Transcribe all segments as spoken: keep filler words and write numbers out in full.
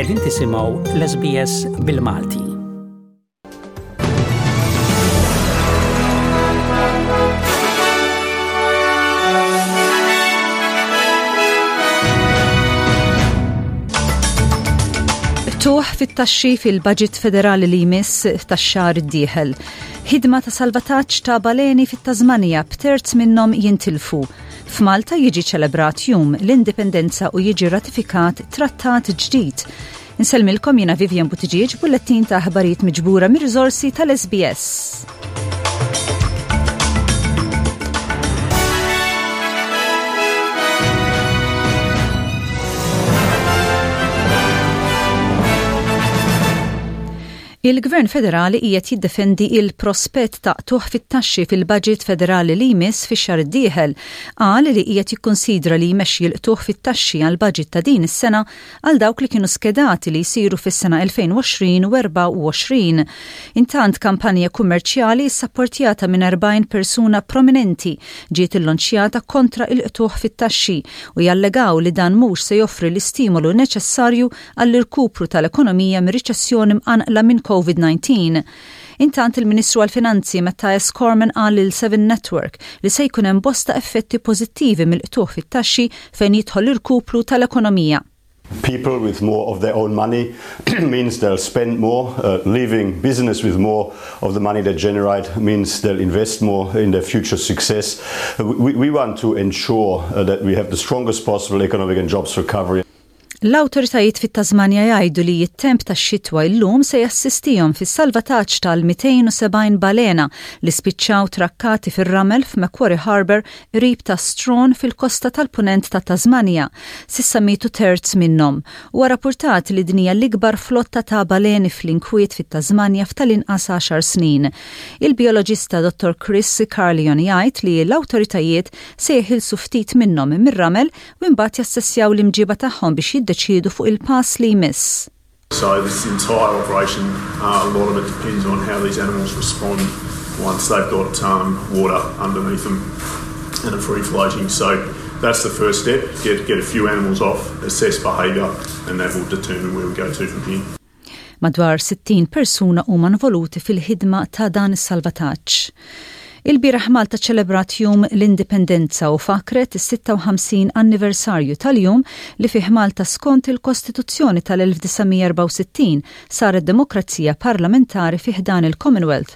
Qegħdin tisimgħu l-S B S bil-Malti. Qtugħ fit-taxxi fil-budget federali li jmiss tax-xahar id-dieħel. Ħidma ta' salvataġġ ta' baleni fit-Tasmania b'terz minnhom jintilfu. F'Malta jiġi ċelebrat Jum l-Indipendenza u jiġi ratifikat trattat ġdid. Insellmilkom, jiena Vivian Buttigieg, bullettin ta' aħbarijiet miġbura mir-riżorsi tal-S B S. Il-Gvern Federali qiegħed jiddefendi il-prospett ta' qtugħ fit-taxxi fil-budget federali li jmiss fix-xahar id-dieħel. Qal li qiegħed jikkonsidra li jmexxi l-qtugħ fit-taxxi għal budget ta' din is-sena għal dawk li kienu skedati li jsiru fis-sena elfejn u għoxrin u erbgħa u għoxrin. Intant, kampanja kummerċjali sapportjata minn erbgħin persuna prominenti ġiet illonċjata kontra il-qtugħ fit-taxxi u jallegaw li dan mhux se joffri l-istimolu neċessarju għall-irkupru tal-ekonomija mir-riċessjoni mqanqla minn COVID nineteen. Intant, il-Ministru għal-Finanzi Mathias Cormann qal lil Seven Network li se jkun hemm bosta effetti pożittivi mill-qtugħ fit-taxxi fejn jidħol l-irkupru tal-ekonomija. People with more of their own money means they'll spend more, uh, leaving business with more of the money they generate means they'll invest more in their future success. Uh, we, we want to ensure uh, that we have the strongest possible economic and jobs recovery. L-awtoritajiet fit-Tasmania jgħidu li t-temp tax-xitwa illum se jassistihom fis-salvataġġ tal-mitejn u sebgħin balena li spiċċaw trakkati fir-ramel f'Macquarie Harbour qrib ta' Strahan fil-kosta tal-punent ta' Tasmania. S'issa mietu terz minnhom. Huwa rapportat li din hija l-ikbar flotta ta' baleni fl-inkwiet fit-Tasmania f'tal-inqas għaxar snin. Il-bioloġista Dottor Chris Carlion jgħid li l-awtoritajiet se jeħilsu ftit minnhom mir-ramel u imbagħad jassessjaw l-imġiba tagħhom biex jiddeċiedu fuq il-pass li jmiss. So this entire operation, uh, a lot of it depends on how these animals respond once they've got um, water underneath them and are free floating. So that's the first step, get, get a few animals off, assess behaviour, and that will determine where we go to from here. Madwar sittin persuna huma involuti fil-ħidma ta' dan is-salvataġġ. Il-bieraħ Malta ċelebrat Jum l-Indipendenza u fakret is-sitta u ħamsin anniversarju tal-jum li fih Malta, skont il-Kostituzzjoni tal-elf disa' mija erbgħa u sittin, saret demokrazija parlamentari fi ħdan il-Commonwealth.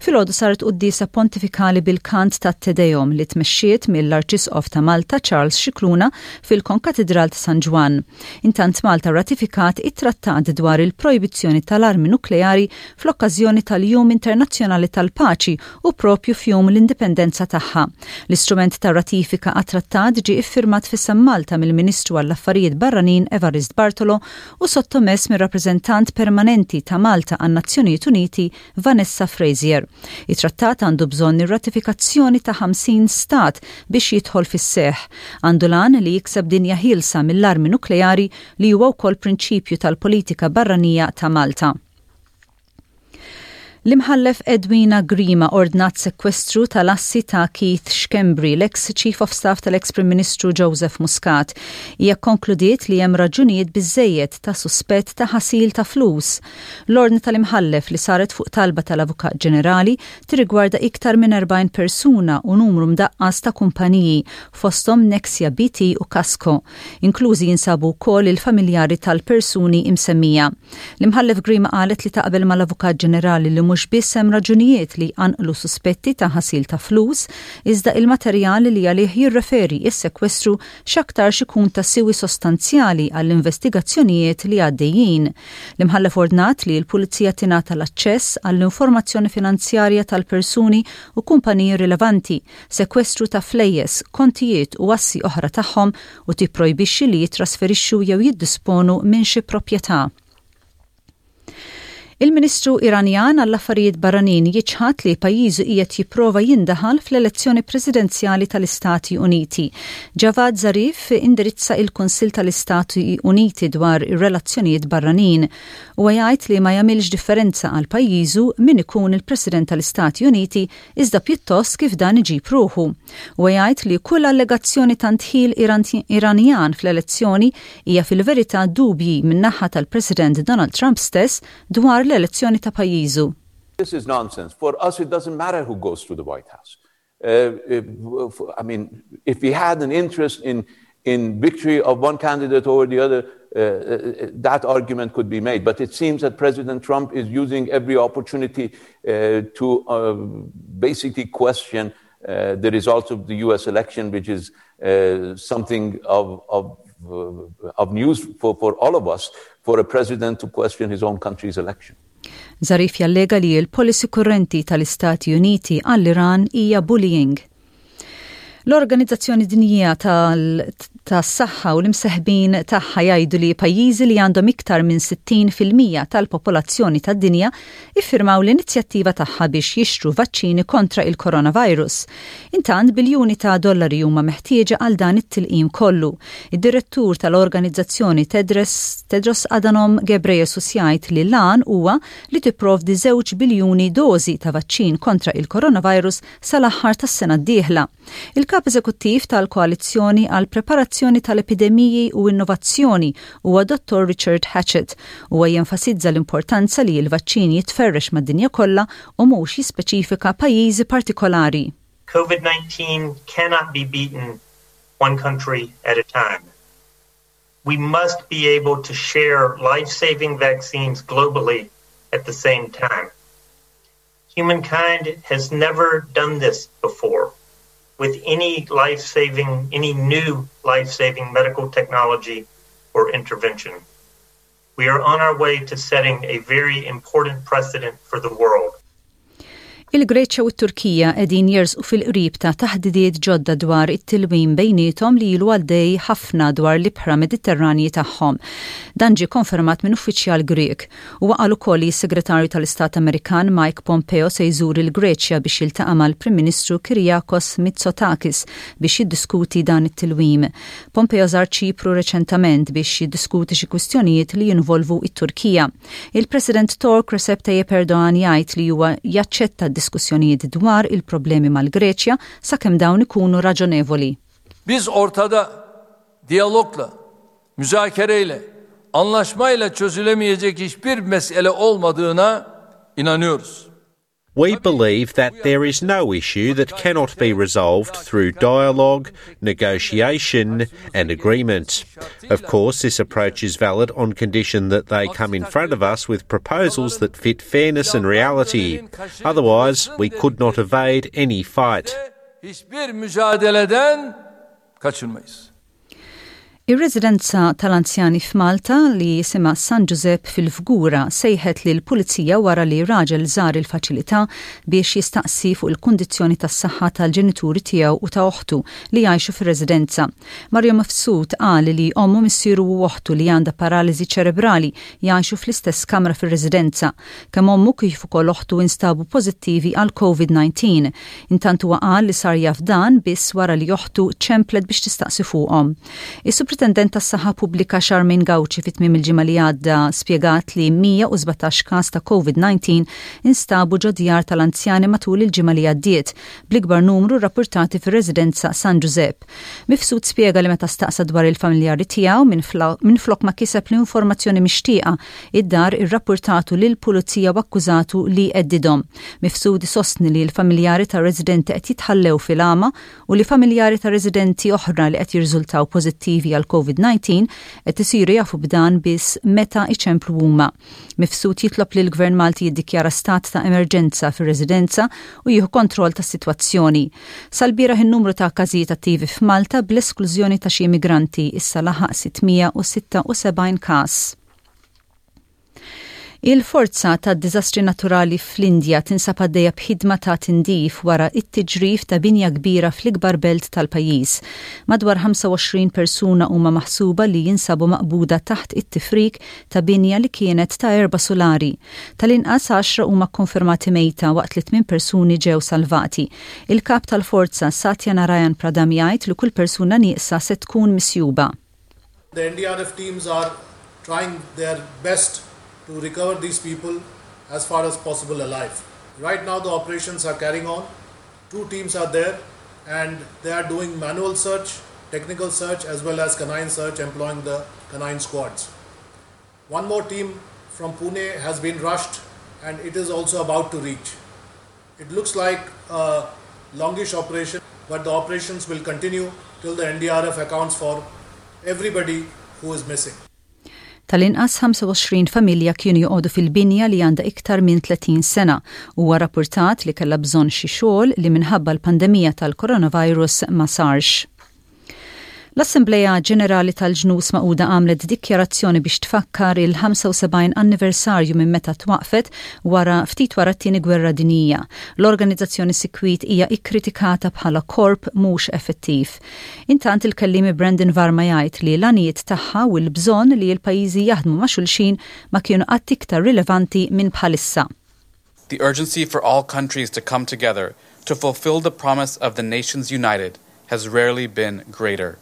Filgħodu saret quddiesa pontifikali bil-kant ta' Te Deum li tmexxiet mill-Arċisqof ta' Malta Charles Scicluna fil-Konkatedral ta' San Ġwann. Intant, Malta ratifikat it-trattat dwar il-projbizzjoni tal-armi nukleari fl-okkażjoni tal-Jum Internazzjonali tal-Paċi u propju f'jum l-indipendenza tagħha. L-istrument ta' ratifika għat-trattat ġie iffirmat f'isem Malta mill-Ministru għall-Affarijiet Barranin Evarist Bartolo u sottomess mir-rappreżentant permanenti ta' Malta għan-Nazzjonijiet Uniti Vanessa Frazier. Il-trattat għandu bżonn ir-ratifikazzjoni ta' ħamsin stat biex jidħol fis-seħ. Għandu l-għan li jikseb dinja ħielsa mill-armi nukleari, li huwa wkoll prinċipju tal-politika barranija ta' Malta. L-imħallef Edwina Grima ordnat sekwestru tal-assi ta' Keith Schembri, l-ex Chief of Staff tal-ex Prim Ministru Joseph Muscat. Hija konkludiet li hemm raġunijiet biżejjed ta' suspett ta' ħasil ta' flus. L-ordni tal-imħallef, li saret fuq talba tal-Avukat Ġenerali, tirrigwarda iktar minn erbgħin persuna u numru mdaqqas ta' kumpaniji, fosthom Nexia B T u Kasco. Inklużi jinsabu wkoll il-familjari tal-persuni imsemmija. L-imħallef Grima qalet li taqbel mal-Avukat Ġenerali li mhux biss hemm raġunijiet li jqanqlu suspetti ta' ħasil ta' flus, iżda il-materjali li għalih jirreferi is-sekwestru x'aktarx ikun ta' siwi sostanzjali għall-investigazzjonijiet li għaddejjin. L-imħallef ordnat li l-pulizija tingħata l-aċċess għall-informazzjoni finanzjarja tal-persuni u kumpaniji rilevanti, sekwestru ta' flejjes, kontijiet u assi oħra tagħhom u tipprojbixxi li jitrasferixxu jew jiddisponu minn xi proprjetà. Il-Ministru Iranjan għall-Affarijiet Barranin jiċħad li pajjiżu qiegħed jipprova jindaħal fl-elezzjoni presidenzjali tal-Istati Uniti. Javad Zarif indirizza il-Kunsill tal-Istati Uniti dwar ir-relazzjonijiet barranin u jgħid li ma jagħmilx differenza għal pajjiżu min ikun il-President tal-Istati Uniti, iżda pjuttost kif dan iġib ruħu. U jgħid li kull allegazzjoni ta' ndħil Iranjan fl-elezzjoni hija fil-verità dubji min-naħa tal-President Donald Trump stess dwar l-elezzjoni ta' pajjiżu. This is nonsense. For us, it doesn't matter who goes to the White House. Uh, if, I mean, if we had an interest in, in victory of one candidate over the other, uh, uh, that argument could be made. But it seems that President Trump is using every opportunity uh, to uh, basically question uh, the results of the U S election, which is something of, of, of news for, for all of us, for a president to question his own country's election. Zarif jallega li l-policy kurrenti tal-Istati Uniti għall-Iran hija bullying. L-Organizzazzjoni Dinjija tas-Saħħa u l-imseħbin tagħha jgħidu li pajjiżi li għandhom iktar minn sittin fil-mija tal-popolazzjoni tad-dinja iffirmaw l-inizjattiva tagħha biex jixtru vaċċini kontra il-coronavirus. Intant, biljuni ta' dollari huma meħtieġa għal dan it-tilqim kollu. Id-direttur tal-organizzazzjoni Tedros, Tedros Adhanom Ghebreyesus, jgħid li l-għan huwa li tipprovdi żewġ biljuni dożi ta' vaċċin kontra il-coronavirus sal-aħħar tas-sena d-dieħla. Il-kap eżekuttiv tal-Koalizzjoni għal Preparazzjoni tal-Epidemiji u Innovazzjoni huwa Dottor Richard Hatchett. Huwa jenfasizza l-importanza li l-vaċċin jitferrex mad-dinja kollha u mhux jispeċifika pajjiżi partikolari. COVID nineteen cannot be beaten one country at a time. We must be able to share life-saving vaccines globally at the same time. Humankind has never done this before with any life-saving, any new life-saving medical technology or intervention. We are on our way to setting a very important precedent for the world. Il-Greċja u t-Turkija qegħdin jersqu fil-qrib ta' taħdidiet ġodda dwar it-tilwim bejniethom li ilu għaddej ħafna dwar l-ibħra Mediterranji tagħhom. Dan ġie konfermat minn uffiċjal Grek. U qal ukoll li s-Segretarju tal-Istat Amerikan Mike Pompeo se jżur il-Greċja biex jiltaqa' mal-Prim Ministru Kyriakos Mitsotakis biex jiddiskuti dan it-tilwim. Pompeo żar Ċipru reċentament biex jiddiskuti xi kwistjonijiet li jinvolvu it-Turkija. Il-President Tork Recep Tayyip Erdogan jgħid li huwa jaċċetta diskussjonijiet dwar il-problemi mal-Greċja sakemm dawn ikunu raġonevoli. Biz ortada diyalogla, müzakereyle, anlaşmayla çözülemeyecek hiçbir mesele olmadığına inanıyoruz. We believe that there is no issue that cannot be resolved through dialogue, negotiation, and agreement. Of course, this approach is valid on condition that they come in front of us with proposals that fit fairness and reality. Otherwise, we could not evade any fight. Hiçbir mücadeleden kaçınmayız. Ir-residenza tal-anzjani f'Malta li jisimha San Giuseppe fil-Fgura sejħet lill-pulizija wara li raġel żar il-faċilità biex jistaqsi fuq il-kundizzjoni tas-saħħa tal-ġenituri tiegħu u ta' oħtu li jgħixu fir-residenza. Mario Mifsud qal li ommu, missieru u oħtu li għandha paraliżi ċerebrali jgħixu fl-istess kamra fir-residenza. Kemm ommu kif ukoll oħtu instabu pożittivi għal COVID nineteen. Intant, huwa qal li sar jaf dan biss wara li oħtu ċemplet biex tistaqsi fuqhom. Is-Supritendent tas-Saħħa Pubblika Charmaine Gauci fit tmiem il-ġimgħa li għadda spjegat li mija u sbatax każ ta' COVID nineteen instabu ġo djar tal-anzjani matul il-ġimgħa li għaddiet, bl-ikbar numru rapportati fir-residenza San Giuseppe. Mifsud spjega li meta staqsa dwar il-familjari tiegħu, minn flok ma kiseb l-informazzjoni mixtieqa, id-dar irrapportatu lil pulizija u akkużatu li heddidhom. Mifsud sostni li l-familjari ta' residenti qed jitħallew fil-għama u li familjari ta' residenti oħra li qed jirriżultaw pożittivi għal COVID nineteen qed isiru jafu b'dan biss meta iċemplu huma. Mifsud jitlob li l-Gvern Malti jiddikjara stat ta' emerġenza fir-residenza u jieħu kontroll tas-sitwazzjoni. Sal-bieraħ, in-numru ta' każijiet attivi f'Malta, bl-esklużjoni ta' xi immigranti, issa laħaq sitt mija u sitta u sebgħin każ. Il-forza ta' diżastri naturali fl-Indja tinsab għaddejja b'ħidma ta' tindif wara it-tiġrif ta' binja kbira fl-ikbar belt tal-pajjiż. Madwar ħamsa u għoxrin persuna huma maħsuba li jinsabu maqbuda taħt it-tifrik ta' binja li kienet ta' erba' sulari. Tal-inqas għaxra huma konfermati mejta waqt li tmien persuni ġew salvati. Il-kap tal-forza Satya Narayan Pradhan jgħid li kull persuna nieqsa se tkun misjuba. The N D R F teams are trying their best to recover these people as far as possible alive. Right now, the operations are carrying on. Two teams are there and they are doing manual search, technical search, as well as canine search, employing the canine squads. One more team from Pune has been rushed and it is also about to reach. It looks like a longish operation, but the operations will continue till the N D R F accounts for everybody who is missing. Tal-inqas ħamsa u għoxrin familja kienu joqogħdu fil-binja li għandha iktar minn tletin sena u huwa rapportat li kellha bżonn xi xogħol li minħabba l-pandemija tal-coronavirus ma sarx. L-Assembleja Ġenerali tal-Ġnus Magħquda għamlet dikjarazzjoni biex tfakkar il-ħamsa u sebgħin anniversarju minn meta twaqfet wara ftit wara t-tieni gwerra dinjija. L-organizzazzjoni sikwit hija ikkritikata bħala korp mhux effettiv. Intant il-kellimi Brandon Varma jgħid li l-għanijiet tagħha u l-bżonn li l-pajjiżi jaħdmu ma' xulxin ma kienu qatt iktar rilevanti minn bħalissa. The urgency for all countries to come together to fulfill the promise of the Nations United has rarely been greater.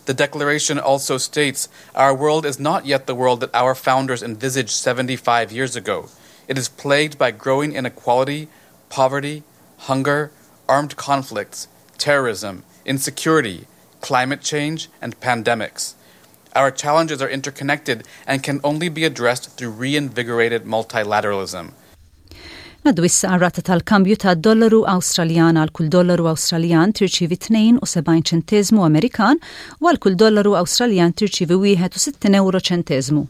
The declaration also states our world is not yet the world that our founders envisaged seventy-five years ago. It is plagued by growing inequality, poverty, hunger, armed conflicts, terrorism, insecurity, climate change, and pandemics. Our challenges are interconnected and can only be addressed through reinvigorated multilateralism. Ngħaddu issa għar-rata tal-kambju ta' dollaru Awstraljan. Għal kull dollaru Awstraljan tirċivi tnejn u sebgħin ċentesmu Amerikan u għal kull dollaru Awstraljan tirċivi wieħed u sittin euro ċentesmu.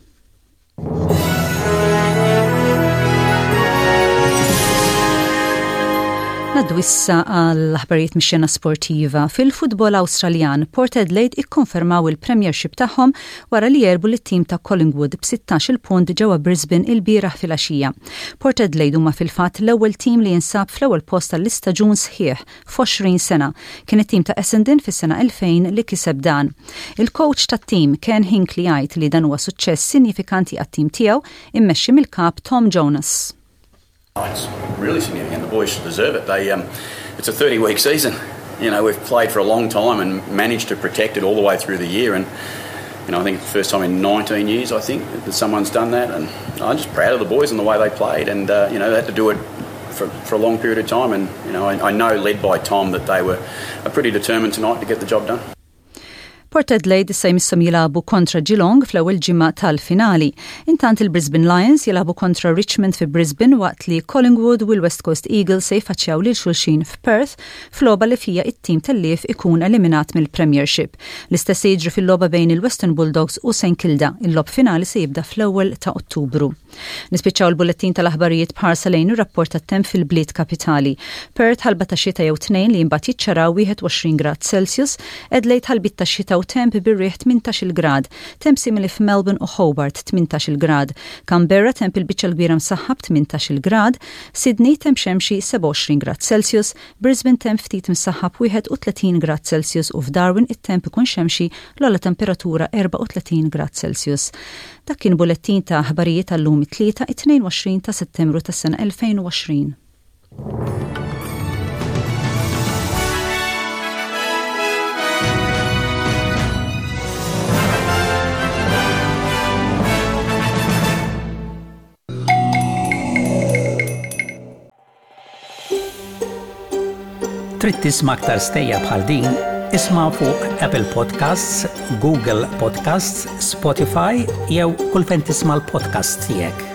Ngħaddu issa għal aħbarijiet mix-xena sportiva. Fil-futbol Awstraljan, Port Adelaide ikkonfermaw il-Premiership tagħhom wara li għelbu lit-tim ta' Collingwood b'sittax-il punt ġewwa Brisbane il-bieraħ filgħaxija. Port Adelaide huma fil-fatt l-ewwel tim li jinsab fl-ewwel post tal-istaġun sħiħ f'għoxrin sena. Kien it-tim ta' Essendon fis-sena elfejn li kiseb dan. Il-coach tat-tim Ken Hinkley jgħid li dan huwa suċċess sinifikanti għat-tim tiegħu immexxi mill-kap Tom Jonas. Oh, it's really significant. The boys should deserve it. They, um, it's a thirty-week season. You know, we've played for a long time and managed to protect it all the way through the year. And you know, I think it's the first time in nineteen years, I think, that someone's done that. And I'm just proud of the boys and the way they played. And uh, you know, they had to do it for, for a long period of time. And you know, I, I know, led by Tom, that they were pretty determined tonight to get the job done. Port Adelaide issa jmisshom jilagħbu kontra Geelong fl-ewwel ġimgħa tal-finali. Intant il-Brisbane Lions jilagħbu kontra Richmond fi Brisbane waqt li Collingwood u l-West Coast Eagles se jfaċċjaw lil xulxin f'Perth f'logħba li fija it-tim tellief ikun eliminat mill-Premiership. L-istess se jiġri fil-logħba bejn il-Western Bulldogs u Saint Kilda. Il-logħob finali se jibda fl-ewwel ta' Ottubru. Nispiċċaw il-bullettin tal-aħbarijiet b'ħarsa lejn ir-rapport tat-temp fil-bliet kapitali. Perth, ħalba ta' xita jew tnejn li mbagħad jiċċaraw, wieħed u għoxrin grad Celsius, Adelaide, ħalbit ta' xita u temp bir-riħ, tmintax-il grad, temp simili f'Melbourne u Hobart, tmintax-il grad, Canberra, temp il-biċċa l-kbira msaħħab, tmintax-il grad, Sydney, temp xemxi, sebgħa u għoxrin grad Celsius, Brisbane, temp ftit msaħħab, wieħed u tletin grad Celsius u f'Darwin it-temp ikun xemxi, l-ogħla temperatura erbgħa u tletin grad Celsius. Dak kien bullettin ta' aħbarijiet tal-lum it-tlieta, it-tnejn u għoxrin ta' Settembru tas-sena elfejn u għoxrin. Trid tisma' aktar stejjer bħal din? Isma' fuq Apple Podcasts, Google Podcasts, Spotify jew kull fejn tisma' l-podcast tiegħek.